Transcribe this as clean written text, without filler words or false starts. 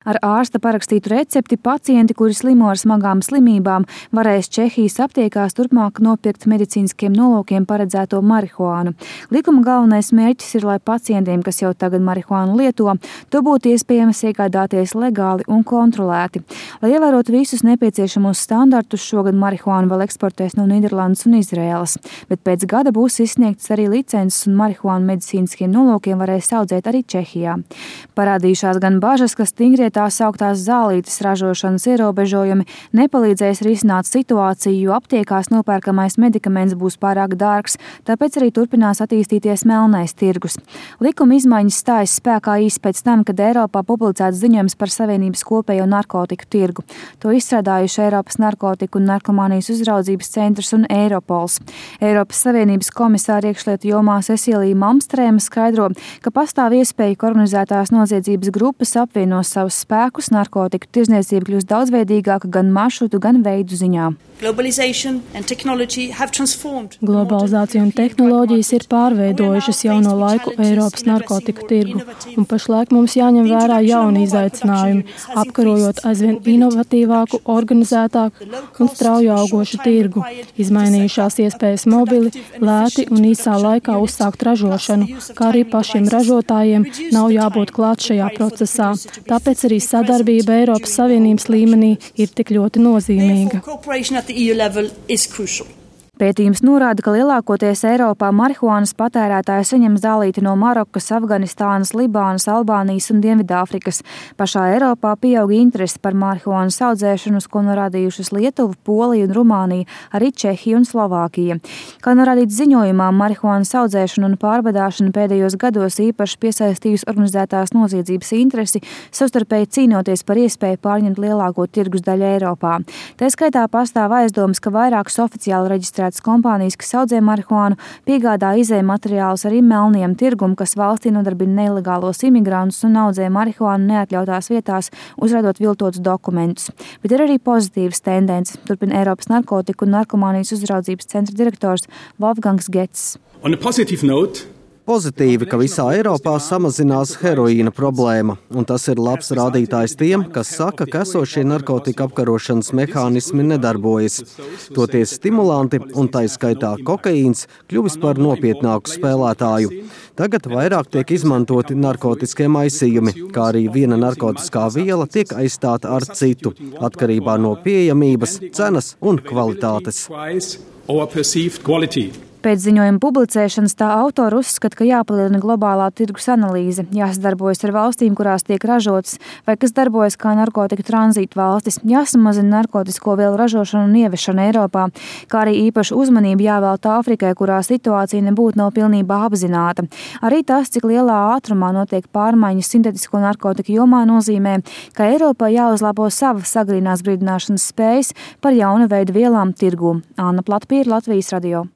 Ar ārsta parakstītu recepti pacienti, kuri slimo ar smagām slimībām, varēs Čehijas aptiekās turpmāk nopirkt medicīniskiem nolūkiem paredzēto marihuānu. Likuma galvenais mērķis ir, lai pacientiem, kas jau tagad marihuānu lieto, to būtu iespējams iegādāties legāli un kontrolēti. Lai ievērotu visus nepieciešamos standartus, šogad marihuānu vēl eksportēs no Nīderlandes un Izraēlas, bet pēc gada būs izsniegtas arī licences un marihuānu medicīniskiem nolūkiem varēs audzēt arī Čehijā. Parādījušās gan bažas, ka stingrie tā sauktās zālītes ražošanas ierobežojumi nepalīdzēs risināt situāciju, jo aptiekās nopērkamais medikaments būs pārāk dārgs, tāpēc arī turpinās attīstīties melnais tirgus. Likuma izmaiņas stājas spēkā īsi pēc tam, kad Eiropā publicēts ziņojums par Savienības kopējo narkotiku tirgu. To izstrādājuši Eiropas narkotiku un narkomānijas uzraudzības centrs un Eiropols. Eiropas Savienības komisāra iekšlietu jomā Cecilija Malmstrēma skaidro, ka pastāv iespēja, ka organizētās noziedzības grupas apvienos savus spēkus, narkotiku tirdzniecība kļūst daudzveidīgāka gan maršrutu, gan veidu ziņā. Globalizācija un tehnoloģijas ir pārveidojušas jauno laiku Eiropas narkotiku tirgu, un pašlaik mums jāņem vērā jauni izaicinājumi, apkarojot aizvien inovatīvāku, organizētāku un strauju augošu tirgu, izmainījušās iespējas mobili, lēti un īsā laikā uzsākt ražošanu, kā arī pašiem ražotājiem nav jābūt klāt šajā procesā. Tāpēc arī sadarbība Eiropas Savienības līmenī ir tik ļoti nozīmīga. Pētījums norāda, ka lielākoties Eiropā marihuānas patērētāji saņem zālīti no Marokas, Afganistānas, Libānas, Albānijas un Dienvidāfrikas. Pašā Eiropā pieauga interese par marihuānas audzēšanu, uz ko norādījušas Lietuva, Polija un Rumānija, arī Čehija un Slovākija. Kā norādīts ziņojumā, marihuānas audzēšana un pārvadāšana pēdējos gados īpaši piesaistījusi organizētās noziedzības interesi, savstarpēji cīnoties par iespēju pārņemt lielāko tirgus daļu Eiropā. Tā skaitā pastāv aizdomas, ka vairākas oficiāli reģistrētas kompānijas, kas audzē marihuānu, piegādā izēju materiālus arī melniem tirgum, kas valstī nodarbina nelegālos imigrantus un audzē marihuānu neatļautās vietās, uzrādot viltotus dokumentus. Bet ir arī pozitīvas tendences, turpina Eiropas narkotiku un narkomānijas uzraudzības centra direktors Wolfgangs Getz. Pozitīvi, ka visā Eiropā samazinās heroīna problēma, un tas ir labs rādītājs tiem, kas saka, ka esošie narkotika apkarošanas mehānismi nedarbojas. Toties stimulanti, un tai skaitā kokaīns, kļuvis par nopietnāku spēlētāju. Tagad vairāk tiek izmantoti narkotiskie maisījumi, kā arī viena narkotiskā viela tiek aizstāta ar citu, atkarībā no pieejamības, cenas un kvalitātes. Pēc ziņojuma publicēšanas tā autori uzskata, ka jāpalielina globālā tirgus analīze, jāsadarbojas ar valstīm, kurās tiek ražotas, vai kas darbojas kā narkotika tranzīta valstis, jāsamazina narkotisko vielu ražošanu un ieviešanu Eiropā, kā arī īpašu uzmanību jāvelta Āfrikai, kurā situācija nebūtu nav pilnībā apzināta. Arī tas, cik lielā ātrumā notiek pārmaiņas sintētisko narkotiku jomā, nozīmē, ka Eiropā jāuzlabo sava agrīnās brīdināšanas spējas par jaunu veidu vielām tirgū. Anna Platpīra, Latvijas radio.